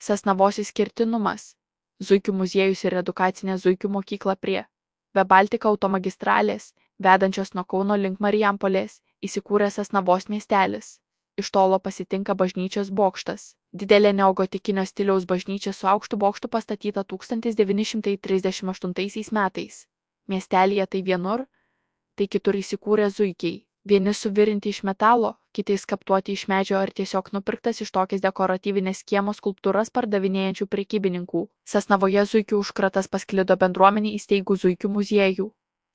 Sasnavos išskirtinumas. Zuikių muziejus ir edukacinė zuikių mokykla prie Via-Baltica automagistralės, vedančios nuo Kauno link Marijampolės, įsikūręs Sasnavos miestelis. Iš tolo pasitinka bažnyčios bokštas. Didelė neogotikinio stiliaus bažnyčia su aukštu bokštu pastatyta 1938 metais. Miestelyje tai vienur, tai kitur įsikūrė zuikiai. Vieni suvirinti iš metalo, kiti skaptuoti iš medžio ar tiesiog nupirktas iš tokias dekoratyvinės kiemo skulptūras pardavinėjančių prekybininkų. Sasnavoje zuikių užkratas pasklido bendruomenį įsteigų zuikių muziejų.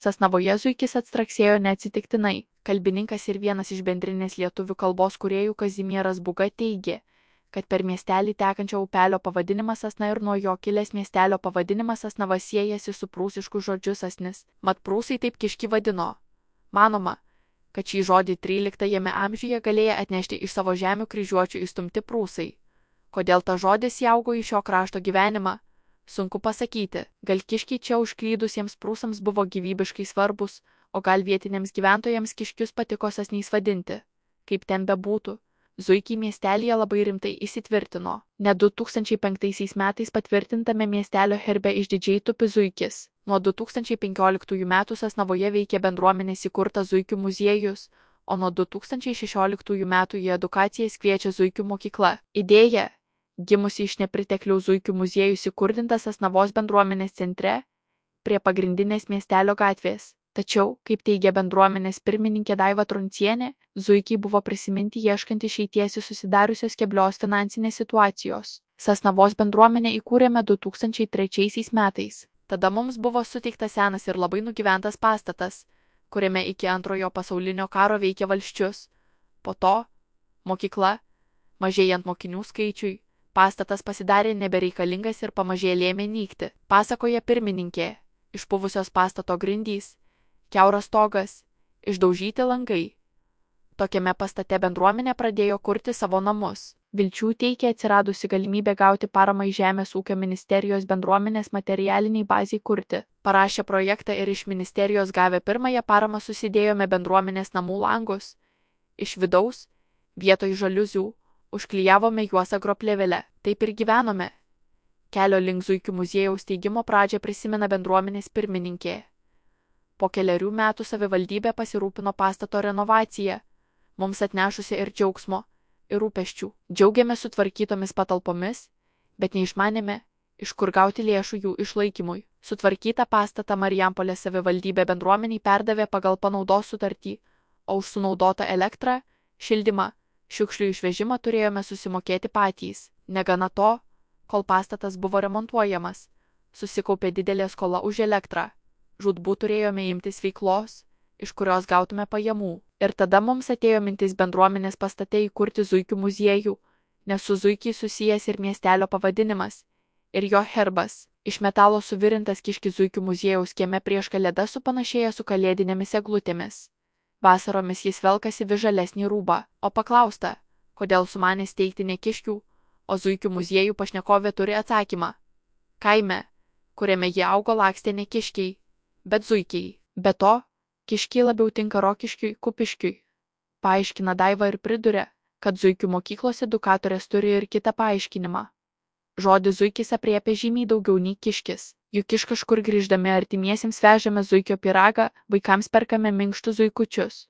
Sasnavoje zuikis atstraksėjo neatsitiktinai. Kalbininkas ir vienas iš bendrinės lietuvių kalbos kūrėjų Kazimieras Būga teigė, kad per miestelį tekančio upelio pavadinimas Sasna ir nuo jo kilęs miestelio pavadinimas Sasnava siejasi su prūsišku žodžiu sasnis, mat prūsai taip kiškį vadino. Manoma, kad šį žodį 13 amžiuje galėjo atnešti iš savo žemių kryžiuočių įstumti prūsai. Kodėl ta žodis įaugo į šio krašto gyvenimą? Sunku pasakyti, gal kiškiai čia užklydusiems prūsams buvo gyvybiškai svarbus, o gal vietiniams gyventojams kiškius patiko sasniais vadinti. Kaip ten bebūtų, zuikiai miestelyje labai rimtai įsitvirtino. Net 2005 metais patvirtintame miestelio herbe išdidžiai tupi zuikis. Nuo 2015 metų Sasnavoje veikia bendruomenės įkurtas zuikių muziejus, o nuo 2016 metų į edukacijas kviečia zuikių mokykla. Idėja, gimusi iš nepriteklių zuikių muziejus įkurdintas Sasnavos bendruomenės centre, prie pagrindinės miestelio gatvės. Tačiau, kaip teigia bendruomenės pirmininkė Daiva Truncienė, zuikiai buvo prisiminti ieškant išeities iš susidariusios keblios finansinės situacijos. Sasnavos bendruomenę įkūrėme 2003 metais. Tada mums buvo suteiktas senas ir labai nugyventas pastatas, kuriame iki Antrojo pasaulinio karo veikė valsčius. Po to, mokykla, mažėjant mokinių skaičiui, pastatas pasidarė nebereikalingas ir pamažėlė ėmė nykti, pasakoja pirmininkė. Išpuvusios pastato grindys, kiauras stogas, išdaužyti langai. Tokiame pastate bendruomenė pradėjo kurti savo namus. Vilčių teikia atsiradusi galimybė gauti paramą iš Žemės ūkio ministerijos bendruomenės materialiniai baziai kurti. Parašė projektą ir iš ministerijos gavę pirmąją paramą susidėjome bendruomenės namų langus. Iš vidaus, vietoj žaliuzių, užklijavome juos agroplėvele. Taip ir gyvenome. Kelio link zuikių muziejaus steigimo pradžią prisimena bendruomenės pirmininkė. Po kelerių metų savivaldybė pasirūpino pastato renovaciją, mums atnešusi ir džiaugsmo, ir rūpesčių. Džiaugiamės sutvarkytomis patalpomis, bet neišmanėme, iš kur gauti lėšų jų išlaikymui. Sutvarkytą pastatą Marijampolės savivaldybė bendruomeniai perdavė pagal panaudos sutartį, o už sunaudotą elektrą, šildymą, šiukšlių išvežimą turėjome susimokėti patys. Negana to, kol pastatas buvo remontuojamas, susikaupė didelė skola už elektrą. Žūtbūt turėjome imtis veiklos, iš kurios gautume pajamų. Ir tada mums atėjo mintis bendruomenės pastate įkurti zuikių muziejų, nes su zuikiai susijęs ir miestelio pavadinimas, ir jo herbas. Iš metalo suvirintas kiškis zuikių muziejaus kieme prieš kalėdas supanašėja su kalėdinėmis eglutėmis. Vasaromis jis velkasi vis žalesnį rūbą, o paklausta, kodėl sumanė steigti ne kiškių, o zuikių muziejų pašnekovė turi atsakymą. Kaime, kuriame jie augo, lakstė ne kiškiai, bet zuikiai. Be to, kiškiai labiau tinka Rokiškiui, Kupiškiui. Paaiškina Daiva ir priduria, kad zuikių mokyklos edukatorės turi ir kitą paaiškinimą. Žodis zuikis apriepia žymiai daugiau nei kiškis. Juk iš kažkur grįždami artimiesiems vežame zuikio pyragą, vaikams perkame minkštus zuikučius.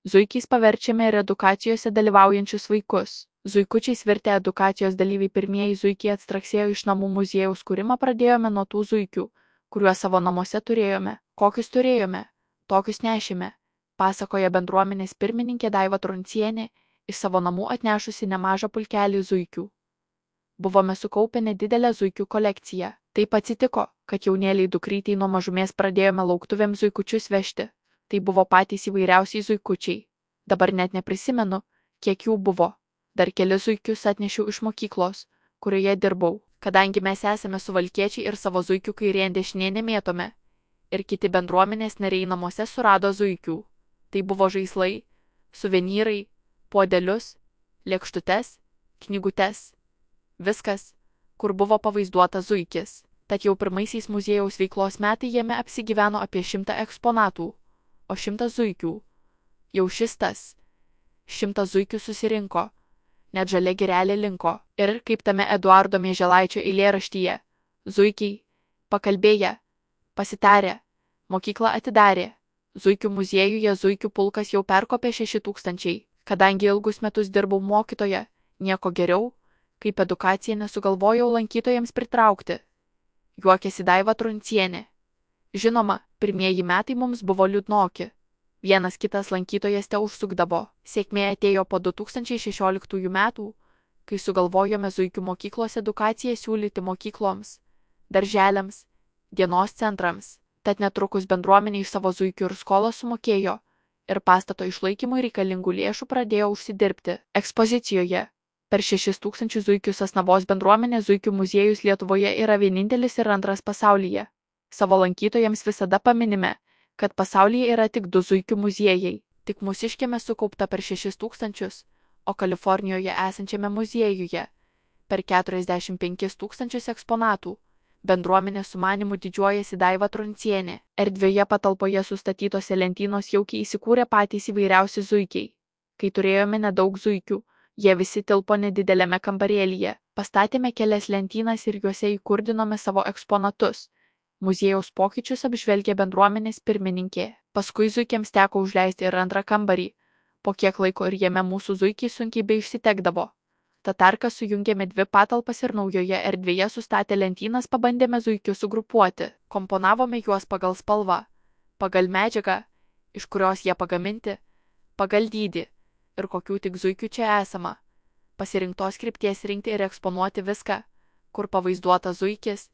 Zuikiais paverčiame ir edukacijose dalyvaujančius vaikus. Zuikučiais virtę edukacijos dalyviai pirmieji zuikiai atstraksėjo iš namų muziejaus kūrimą pradėjome nuo tų zuikių, kuriuos savo namuose turėjome. Kokius turėjome, tokius nešėme, pasakoja bendruomenės pirmininkė Daiva Truncienė, iš savo namų atnešusi nemažą pulkelį zuikių. Buvome sukaupę nedidelę zuikių kolekciją. Taip atsitiko, kad jaunėliai dukrytei nuo mažumės pradėjome lauktuvėms zuikučius vežti. Tai buvo patys įvairiausiai zuikučiai. Dabar net neprisimenu, kiek jų buvo. Dar keli zuikius atnešiau iš mokyklos, kurioje dirbau, kadangi mes esame suvalkiečiai ir savo zuikių kairėn dešinė nemėtome. Ir kiti bendruomenės nariai namuose surado zuikių. Tai buvo žaislai, suvenyrai, puodelius, lėkštutes, knygutes. Viskas, kur buvo pavaizduota zuikis. Tad jau pirmaisiais muziejaus veiklos metai jame apsigyveno apie 100 eksponatų, o 100 zuikių. Jau šis tas. 100 zuikių susirinko. net žalia girelė linko. Ir, kaip tame Eduardo Mieželaičio eilėraštyje, zuikiai, pakalbėję, pasitarę, mokyklą atidarė. Zuikių muziejuje zuikių pulkas jau perkopė 6000. Kadangi ilgus metus dirbau mokytoja, nieko geriau, kaip edukacija nesugalvojau lankytojams pritraukti. Juokėsi Daiva Truncienė. Žinoma, pirmieji metai mums buvo liūdnoki. Vienas kitas lankytojas te užsukdavo. Sėkmė atėjo po 2016 metų, kai sugalvojome zuikių mokyklos edukaciją siūlyti mokykloms, darželiams, dienos centrams. Tad netrukus bendruomenė iš savo zuikių ir skolą sumokėjo ir pastato išlaikymui reikalingų lėšų pradėjo užsidirbti. Ekspozicijoje per 6000 zuikių Sasnavos bendruomenė zuikių muziejus Lietuvoje yra vienintelis ir antras pasaulyje. Savo lankytojams visada paminime, kad pasaulyje yra tik 2 zuikių muziejai. Tik Mūsiškėme sukaupta per 6000, o Kalifornijoje esančiame muziejuje per 45 000 eksponatų. Bendruomenės sumanymu didžiuojasi Daiva Truncienė. Erdvioje patalpoje sustatytose lentynos jaukiai įsikūrė patys įvairiausi zuikiai. Kai turėjome nedaug zuikių, jie visi tilpo nedidelėme kambarėlyje. Pastatėme kelias lentynas ir juose įkurdinome savo eksponatus. Muziejaus pokyčius apžvelgė bendruomenės pirmininkė. Paskui zuikiams teko užleisti ir antrą kambarį. Po kiek laiko ir jame mūsų zuikiai sunkiai beišsitekdavo. Tatarką sujungėme 2 patalpas ir naujoje erdvėje sustatę lentynas pabandėme zuikius sugrupuoti. Komponavome juos pagal spalvą, pagal medžiagą, iš kurios jie pagaminti, pagal dydį ir kokių tik zuikių čia esama. Pasirinktos krypties rinkti ir eksponuoti viską, kur pavaizduota zuikis,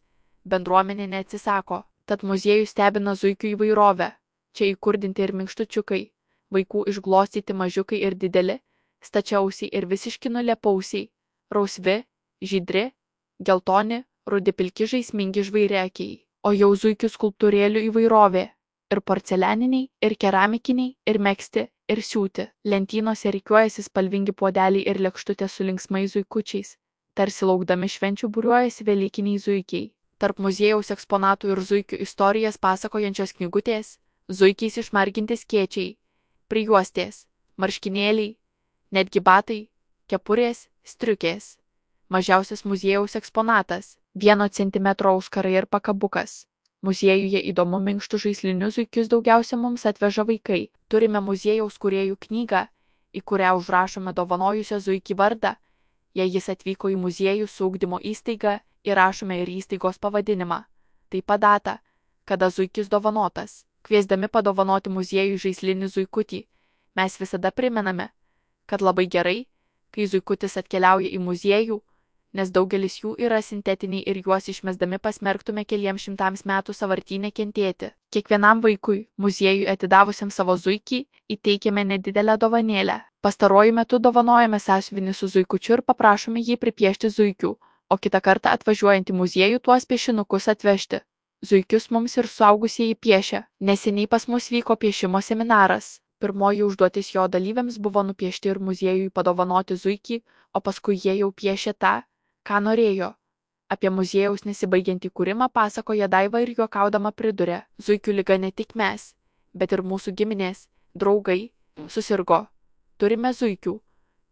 bendruomenė neatsisako. Tad muziejus stebina zuikių įvairovę. Čia įkurdinti ir minkštučiukai, vaikų išglostyti mažiukai ir dideli, stačiausiai ir visiški nulepausiai, rausvi, žydri, geltoni, rudi pilki žaismingi žvairiakiai, o jau zuikių skulptūrėlių įvairovė ir porcelianiniai, ir keramikiniai, ir megzti, ir siūti. Lentynose rikiuojasi spalvingi puodeliai ir lėkštutės su linksmais zuikučiais, tarsi laukdami švenčių būriuojasi velykiniai zuikiai. Tarp muziejaus eksponatų ir zuikių istorijas pasakojančios knygutės, zuikiais išmarginti skėčiai, prijuostės, marškinėliai, netgi batai, kepurės, striukės. Mažiausias muziejaus eksponatas – 1 cm auskarai ir pakabukas. Muziejuje įdomu minkštų žaislinių zuikius daugiausia mums atveža vaikai. Turime muziejaus kūrėjų knygą, į kurią užrašome dovanojusio zuikį vardą. Jei jis atvyko į muziejų su ugdymo įstaiga, įrašome ir įstaigos pavadinimą. Taip pat datą, kada zuikis dovanotas. Kviesdami padovanoti muziejui žaislinį zuikutį, mes visada primename, kad labai gerai, kai zuikutis atkeliauja į muziejų, nes daugelis jų yra sintetiniai ir juos išmesdami pasmerktume keliems šimtams metų sąvartyne kentėti. Kiekvienam vaikui, muziejui atidavusiam savo zuikį, įteikėme nedidelę dovanėlę. Pastaruoju metu dovanojame sąsiuvinį su zuikučiu ir paprašome jį pripiešti zuikių, o kitą kartą atvažiuojant į muziejų tuos piešinukus atvežti. Zuikius mums ir suaugusieji piešia. Neseniai pas mus vyko piešimo seminaras. Pirmoji užduotis jo dalyviams buvo nupiešti ir muziejui padovanoti zuikį, o paskui jie jau piešė tą, ką norėjo. Apie muziejaus nesibaigiantį kūrimą pasakoja Daiva ir juokaudama priduria: zuikių liga ne tik mes, bet ir mūsų giminės, draugai, susirgo. Turime zuikių,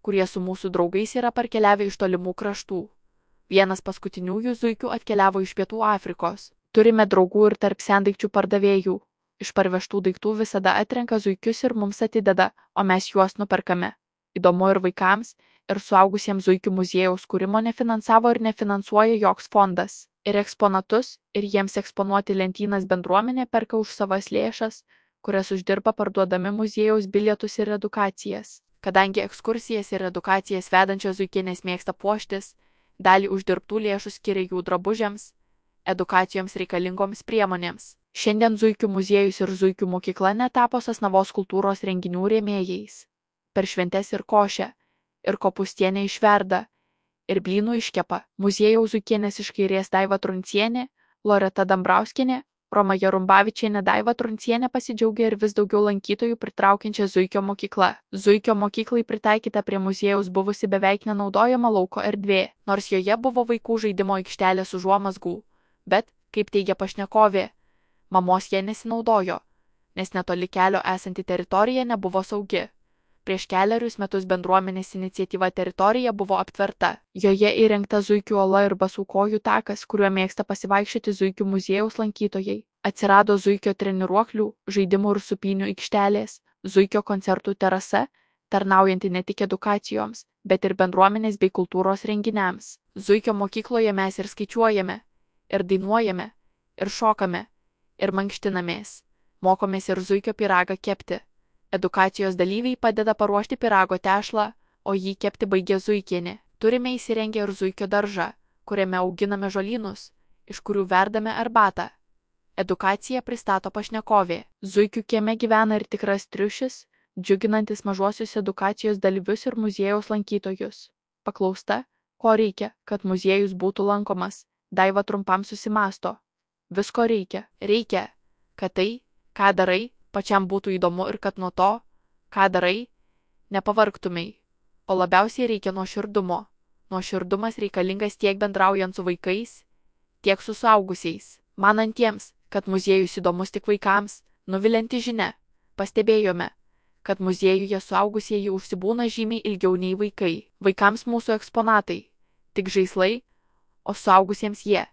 kurie su mūsų draugais yra parkeliavę iš tolimų kraštų. Vienas paskutiniųjų zuikių atkeliavo iš Pietų Afrikos. Turime draugų ir tarp sendaikčių pardavėjų. Iš parvežtų daiktų visada atrenka zuikius ir mums atideda, o mes juos nuperkame. Įdomu ir vaikams, ir suaugusiems zuikių muziejaus kūrimo nefinansavo ir nefinansuoja joks fondas. Ir eksponatus, ir jiems eksponuoti lentynas bendruomenė perka už savas lėšas, kurias uždirba parduodami muziejaus bilietus ir edukacijas. Kadangi ekskursijas ir edukacijas vedančios zuikienės mėgsta puoštis, dalį uždirbtų lėšų skiria jų drabužiams, edukacijoms reikalingoms priemonėms. Šiandien zuikių muziejus ir zuikių mokykla netapo Sasnavos kultūros renginių rėmėjais. Per šventes ir košę, ir kopūstienę išverda, ir blynų iškepa. Muziejaus zuikienės iš kairės Daiva Truncienė, Loreta Dambrauskienė, Roma Jarumbavičienė. Daiva Truncienė pasidžiaugia ir vis daugiau lankytojų pritraukiančia zuikio mokykla. Zuikio mokyklai pritaikyta prie muziejaus buvusi beveik nenaudojama lauko erdvė, nors joje buvo vaikų žaidimo aikštelė su užuomazgų. Bet, kaip teigia pašnekovė, mamos jie nesinaudojo, nes netoli kelio esanti teritorija nebuvo saugi. Prieš kelerius metus bendruomenės iniciatyva teritorija buvo aptverta. Joje įrengta Zuikių ola ir Basų-kojų takas, kuriuo mėgsta pasivaikščioti Zuikių muziejaus lankytojai. Atsirado Zuikio treniruoklių, žaidimų ir supynių aikštelės, Zuikio koncertų terasa, tarnaujanti ne tik edukacijoms, bet ir bendruomenės bei kultūros renginiams. Zuikio mokykloje mes ir skaičiuojame, ir dainuojame, ir šokame, ir mankštinamės. Mokomės ir Zuikio pyragą kepti. Edukacijos dalyviai padeda paruošti pyrago tešlą, o jį kepti baigė Zuikienė. Turime įsirengę ir Zuikio daržą, kuriame auginame žolynus, iš kurių verdame arbatą. Edukaciją pristato pašnekovė. Zuikių kieme gyvena ir tikras triušis, džiuginantis mažuosius edukacijos dalyvius ir muziejaus lankytojus. Paklausta, ko reikia, kad muziejus būtų lankomas, Daiva trumpam susimąsto. Visko reikia. Reikia, kad tai, ką darai, pačiam būtų įdomu ir kad nuo to, ką darai, nepavargtumei. O labiausiai reikia nuoširdumo. Nuoširdumas reikalingas tiek bendraujant su vaikais, tiek su suaugusiais. Manantiems, kad muziejus įdomus tik vaikams, nuvilianti žinia. Pastebėjome, kad muziejuje suaugusieji užsibūna žymiai ilgiau nei vaikai. Vaikams mūsų eksponatai tik žaislai, o suaugusiems jie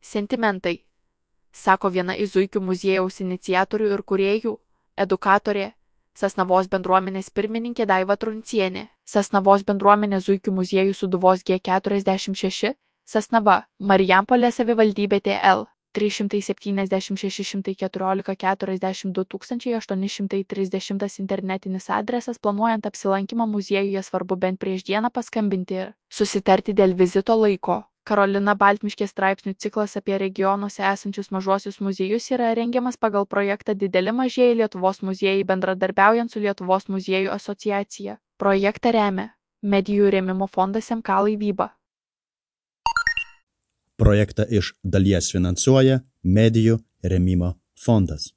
sentimentai, sako viena iš Zuikių muziejaus iniciatorių ir kūrėjų, edukatorė, Sasnavos bendruomenės pirmininkė Daiva Truncienė. Sasnavos bendruomenė Zuikių muziejų Sūduvos G46, Sasnava, Marijampolės savivaldybė TL 376 114 42 830 internetinis adresas. Planuojant apsilankymą muziejuje svarbu bent prieš dieną paskambinti ir susitarti dėl vizito laiko. Karolina Baltmiškė straipsnių ciklas apie regionuose esančius mažuosius muziejus yra rengiamas pagal projektą Dideli mažieji Lietuvos muziejai bendradarbiaujant su Lietuvos muziejų asociacija. Projektą remia Medijų rėmimo fondas MK Laivyba. Projektą iš dalies finansuoja Medijų rėmimo fondas.